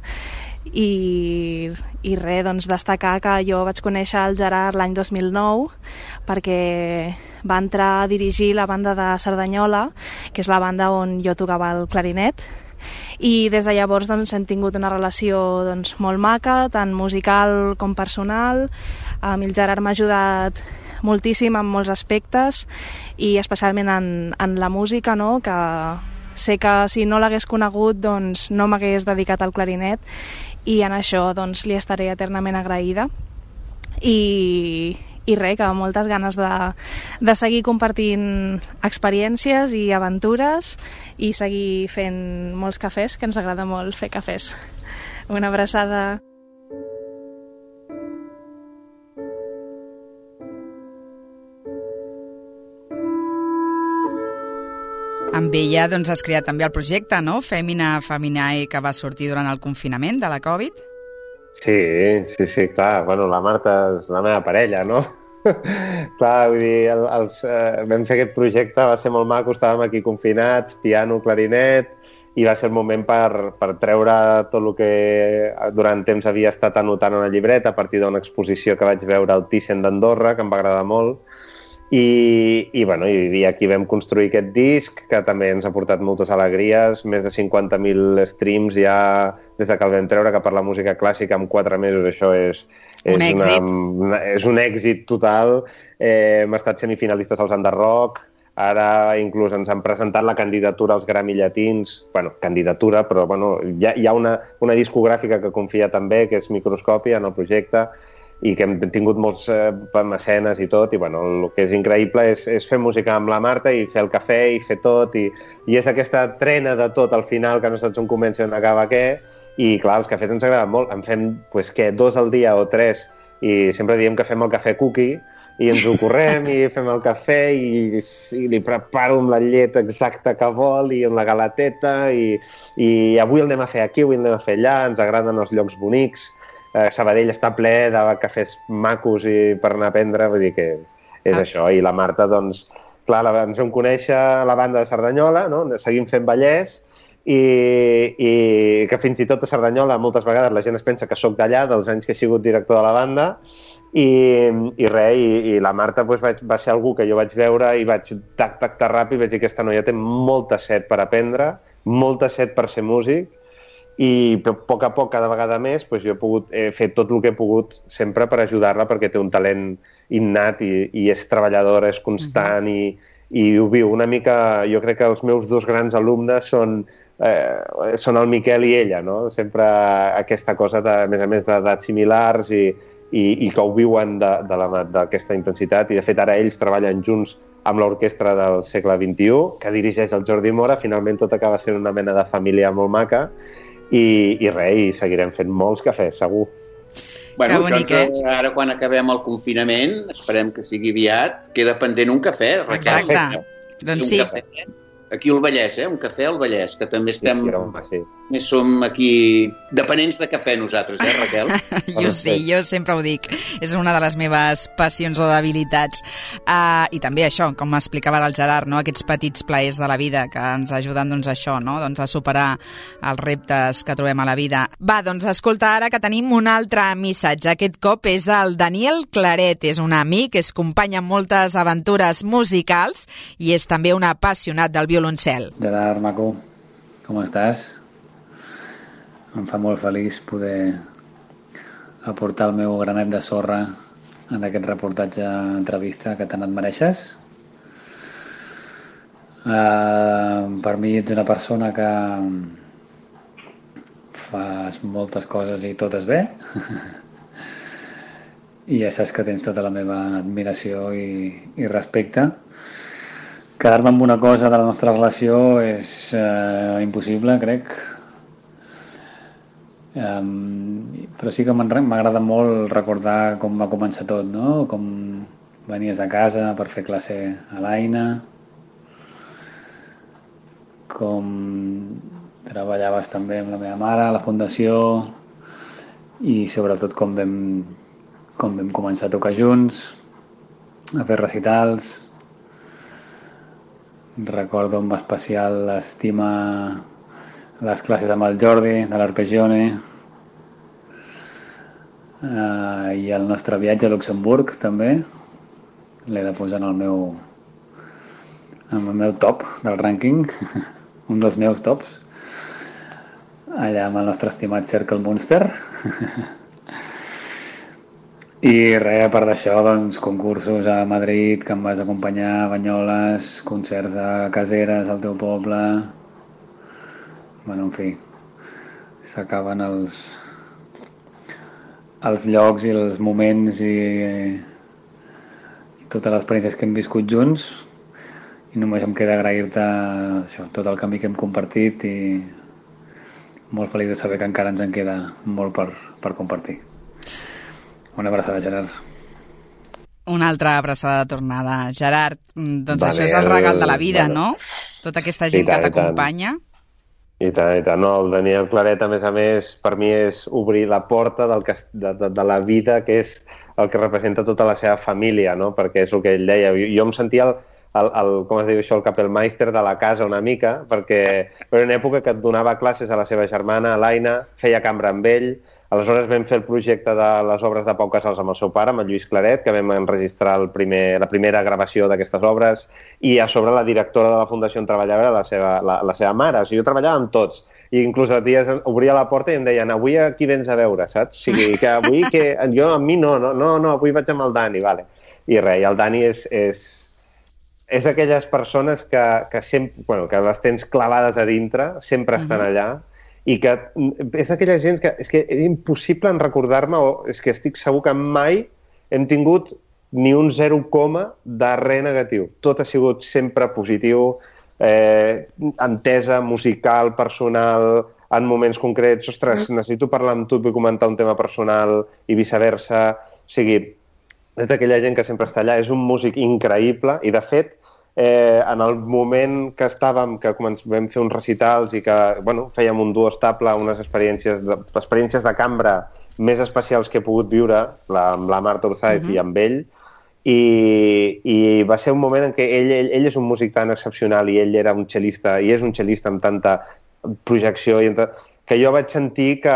I: i res, doncs destacar que jo vaig conèixer el Gerard l'any 2009 perquè va entrar a dirigir la banda de Cerdanyola, que és la banda on jo tocava el clarinet, i des de llavors doncs, hem tingut una relació doncs, molt maca, tant musical com personal. El Gerard m'ha ajudat moltíssim en molts aspectes i especialment en la música, no? Que sé que si no l'hagués conegut doncs no m'hagués dedicat al clarinet i en això doncs li estaré eternament agraïda i res, que moltes ganes de seguir compartint experiències i aventures i seguir fent molts cafès, que ens agrada molt fer cafès. Una abraçada.
B: Amb ella doncs, has creat també el projecte, no? Feminae, que va sortir durant el confinament de la Covid.
E: Sí, clar. Bueno, la Marta és la meva parella, no? Clar, vull dir, vam fer aquest projecte, va ser molt maco, estàvem aquí confinats, piano, clarinet, i va ser el moment per treure tot el que durant temps havia estat anotant a una llibreta a partir d'una exposició que vaig veure al Thyssen d'Andorra, que em va agradar molt. I aquí vam construir aquest disc, que també ens ha portat moltes alegries, més de 50.000 streams ja des que el vam treure, que per la música clàssica en 4 mesos això és un èxit total. Hem estat semifinalistes als Under Rock, ara inclús ens han presentat la candidatura als Grammy Llatins, candidatura, però hi ha una discogràfica que confia també, que és Microscòpia, en el projecte. i que hem tingut molts mecenes i tot, i bueno, el que és increïble és fer música amb la Marta i fer el cafè i fer tot, i és aquesta trena de tot al final que no saps on comença i on acaba què, i clar, els cafès ens agraden molt, en fem, pues, què, 2 al dia o 3, i sempre diem que fem el cafè cookie, i ens ho correm i fem el cafè i li preparo amb la llet exacta que vol i amb la galateta i avui el anem a fer aquí, avui el anem a fer allà, ens agraden els llocs bonics. Sabadell està ple de cafès macos i per anar a prendre, vull dir que és això. I la Marta, doncs, clar, ens vam conèixer a la banda de Cerdanyola, no? Seguim fent Vallès, i que fins i tot a Cerdanyola moltes vegades la gent es pensa que sóc d'allà, dels anys que he sigut director de la banda, i la Marta pues, va ser algú que jo vaig veure i vaig tac ràpid, vaig dir que aquesta noia té molta set per aprendre, molta set per ser músic, i a poc, cada vegada més, pues, jo he pogut fer tot el que he pogut sempre per ajudar-la, perquè té un talent innat i és treballadora, és constant, i ho viu una mica. Jo crec que els meus 2 grans alumnes són el Miquel i ella, no? Sempre aquesta cosa, a més d'edats similars i que ho viuen d'aquesta intensitat, i de fet ara ells treballen junts amb l'orquestra del segle XXI, que dirigeix el Jordi Mora. Finalment tot acaba sent una mena de família molt maca, i seguirem fent molts cafès, segur.
C: Bueno, bonic, ara quan acabem el confinament, esperem que sigui aviat, queda pendent un cafè, Raquel.
B: Exacte, doncs sí.
C: Aquí al Vallès, un cafè al Vallès, que també estem... Més som aquí dependents de cafè nosaltres, Raquel?
B: Jo sí, jo sempre ho dic. És una de les meves passions o debilitats. I també això, com explicava el Gerard, no? Aquests petits plaers de la vida que ens ajuden doncs, això, no? Doncs, a superar els reptes que trobem a la vida. Va, doncs escolta ara que tenim un altre missatge. Aquest cop és el Daniel Claret. És un amic, és company en moltes aventures musicals i és també un apassionat del violoncel.
J: Gerard, maco, com estàs? Em fa molt feliç poder aportar el meu granet de sorra en aquest reportatge entrevista que tant et mereixes. Per mi ets una persona que fas moltes coses i totes bé i ja saps que tens tota la meva admiració i respecte. Quedar-me amb una cosa de la nostra relació és impossible, crec. Però sí que m'agrada molt recordar com va començar tot, no? Com venies a casa per fer classe a l'Aina, com treballaves també amb la meva mare a la fundació i sobretot com vam començar a tocar junts, a fer recitals. Recordo amb especial estima les classes amb el Jordi de l'Arpeggione i el nostre viatge a Luxemburg també l'he de posar en el meu top del rànquing, un dels meus tops, allà amb el nostre estimat Cercle Munster. I res, a part d'això, doncs, concursos a Madrid que em vas acompanyar, Banyoles, concerts a Caseres, al teu poble. Bueno, en fi, s'acaben els llocs i els moments i totes les experiències que hem viscut junts, i només em queda agrair-te això, tot el camí que hem compartit, i molt feliç de saber que encara ens en queda molt per compartir. Una abraçada, Gerard.
B: Una altra abraçada de tornada. Gerard, doncs vale, això és el regal de la vida, no? Tota aquesta gent que t'acompanya.
E: I tant. No, el Daniel Claret, a més, per mi és obrir la porta de la vida, que és el que representa tota la seva família, no? Perquè és el que ell deia. Jo em sentia com es diu això, el Kapellmeister de la casa una mica, perquè era una època que et donava classes a la seva germana, a l'Aina, feia cambra amb ell. Aleshores vam fer el projecte de les obres de Pau Casals amb el seu pare, amb el Lluís Claret, que vam enregistrar la primera gravació d'aquestes obres, i a sobre la directora de la fundació on treballava la seva mare. O sigui, jo treballava amb tots. I inclús a dies obria la porta i em deien, avui a qui vens a veure, saps? O sigui, que avui jo amb mi no, avui vaig amb el Dani, vale. I res, el Dani és d'aquelles persones que sempre, que les tens clavades a dintre, sempre estan allà, i que és d'aquella gent que és impossible en recordar-me, o és que estic segur que mai hem tingut ni un 0, de res negatiu. Tot ha sigut sempre positiu, entesa, musical, personal, en moments concrets. Ostres, necessito parlar amb tu, vull comentar un tema personal i viceversa. O sigui, és d'aquella gent que sempre està allà. És un músic increïble i, de fet, en el moment que estàvem, que vam fer uns recitals i que fèiem un duo estable, unes experiències de cambra més especials que he pogut viure, amb la Marta Urzáez i amb ell, i va ser un moment en què ell és un músic tan excepcional i ell era un cel·lista, i és un cel·lista amb tanta projecció, que jo vaig sentir que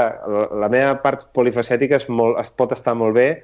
E: la meva part polifacètica es pot estar molt bé,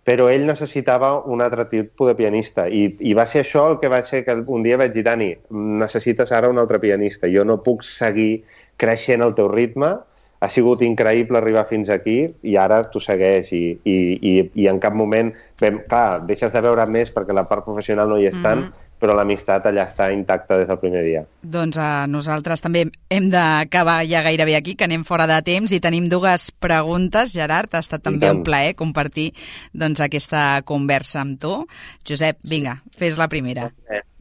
E: però ell necessitava un altre tipus de pianista i va ser això el que va ser que un dia vaig dir, Dani, necessites ara un altre pianista, jo no puc seguir creixent al teu ritme, ha sigut increïble arribar fins aquí i ara tu segueix i en cap moment, clar, deixes de veure més perquè la part professional no hi és tant, però l'amistat allà està intacta des del primer dia.
B: Doncs nosaltres també hem d'acabar ja gairebé aquí, que anem fora de temps i tenim dues preguntes. Gerard, ha estat també un plaer compartir aquesta conversa amb tu. Josep, vinga, fes la primera.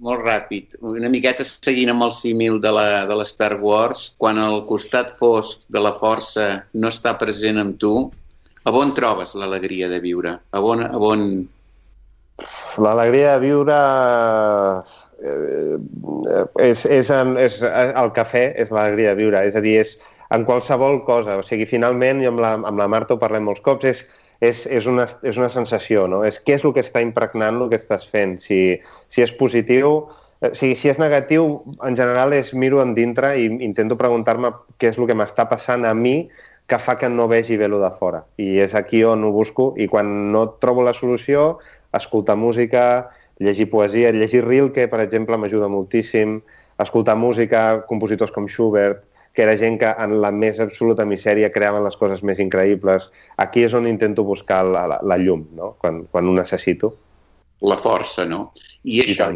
C: Molt ràpid. Una miqueta seguint amb el símil de la Star Wars, quan el costat fosc de la força no està present amb tu, a on trobes l'alegria de viure? A on...
E: L'alegria de viure és el cafè, és l'alegria de viure, és a dir, és en qualsevol cosa. O sigui, finalment, jo amb la Marta ho parlem molts cops, és una sensació, no? És què és el que està impregnant el que estàs fent. Si és positiu, si és negatiu, en general miro endintre i intento preguntar-me què és el que m'està passant a mi que fa que no vegi bé-lo de fora. I és aquí on ho busco, i quan no trobo la solució, escoltar música, llegir poesia, llegir Rilke, per exemple, m'ajuda moltíssim, escoltar música, compositors com Schubert, que era gent que en la més absoluta misèria creaven les coses més increïbles. Aquí és on intento buscar la llum, no? Quan ho necessito.
C: La força, no? I això,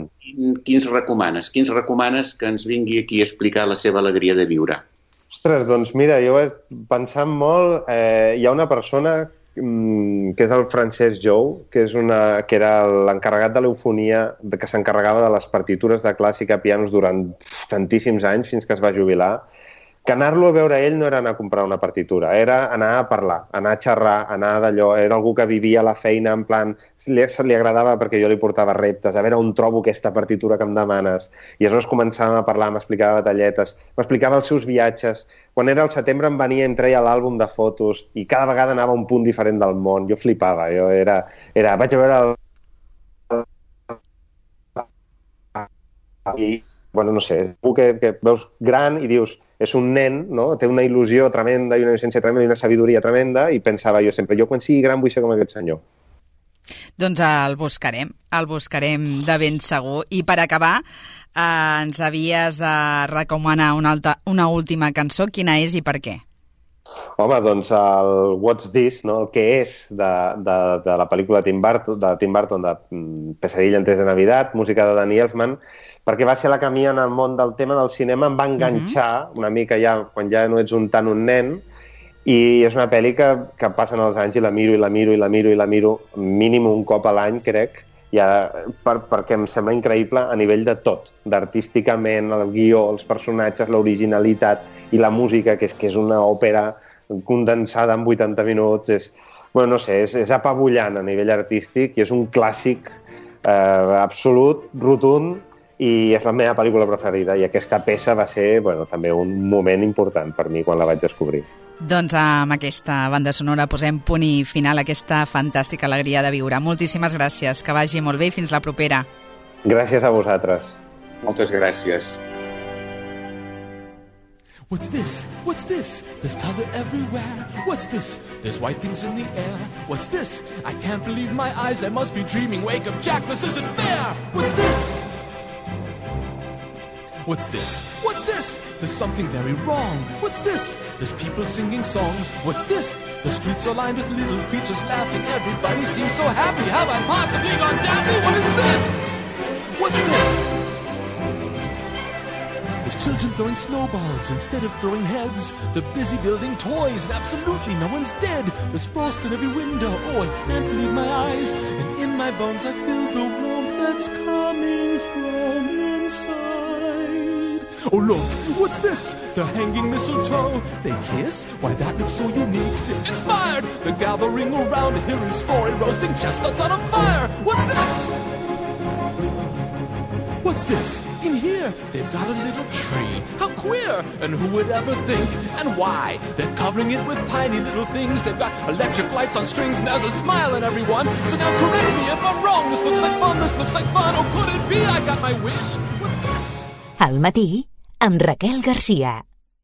C: quins recomanes? Quins recomanes que ens vingui aquí a explicar la seva alegria de viure?
E: Ostres, doncs mira, jo he pensat molt... Hi ha una persona que és el Francesc Jou, que era l'encarregat de l'eufonia, que s'encarregava de les partitures de clàssica a pianos durant tantíssims anys, fins que es va jubilar, que anar-lo a veure ell no era anar a comprar una partitura, era anar a parlar, anar a xerrar, anar d'allò, era algú que vivia la feina en plan... Li agradava perquè jo li portava reptes, a veure on trobo aquesta partitura que em demanes. I aleshores començàvem a parlar, m'explicava batalletes, m'explicava els seus viatges. Quan era al setembre em venia i em treia l'àlbum de fotos i cada vegada anava a un punt diferent del món. Jo flipava, vaig a veure no sé, algú que veus gran i dius, és un nen, no? Té una il·lusió tremenda i una innocència tremenda i una sabidoria tremenda, i pensava jo sempre, jo quan sigui gran vull ser com aquest senyor.
B: Doncs el buscarem de ben segur. I per acabar, ens havies de recomanar una última cançó. Quina és i per què?
E: Home, doncs el What's This, no? El què és de la pel·lícula de Tim Burton, de Pesadilla antes de Navidad, música de Danny Elfman, perquè va ser la que a mi en el món del tema del cinema em va enganxar una mica quan ja no ets tant un nen, i és una pel·li que passen els anys i la miro mínim un cop a l'any, crec, perquè em sembla increïble a nivell de tot, d'artísticament, el guió, els personatges, l'originalitat i la música, que és una òpera condensada en 80 minuts, és apabullant a nivell artístic i és un clàssic absolut, rotund, i és la meva pel·lícula preferida, i aquesta peça va ser també un moment important per mi quan la vaig descobrir.
B: Doncs amb aquesta banda sonora posem punt i final a aquesta fantàstica alegria de viure. Moltíssimes gràcies, que vagi molt bé i fins la propera.
E: Gràcies a vosaltres.
C: Moltes gràcies.
K: What's this? What's this? There's color everywhere. What's this? There's white things in the air. What's this? I can't believe my eyes. I must be dreaming. Wake up, Jack, this isn't fair. What's this? What's this? What's this? There's something very wrong. What's this? There's people singing songs. What's this? The streets are lined with little creatures laughing. Everybody seems so happy. Have I possibly gone daffy? What is this? What's this? There's children throwing snowballs instead of throwing heads. They're busy building toys and absolutely no one's dead. There's frost in every window, oh, I can't believe my eyes. And in my bones I feel the warmth that's coming from inside. Oh, look, what's this? The hanging mistletoe. They kiss? Why, that looks so unique. Inspired! They're gathering around to hear his story, roasting chestnuts on a fire. What's this? What's this? In here, they've got a little tree. How queer! And who would ever think? And why? They're covering it with tiny little things. They've got electric lights on strings and there's a smile on everyone. So now correct me if I'm wrong. This looks like fun, this looks like fun. Oh, could it be I got my wish? What's this?
A: Al matí, amb Raquel Garcia.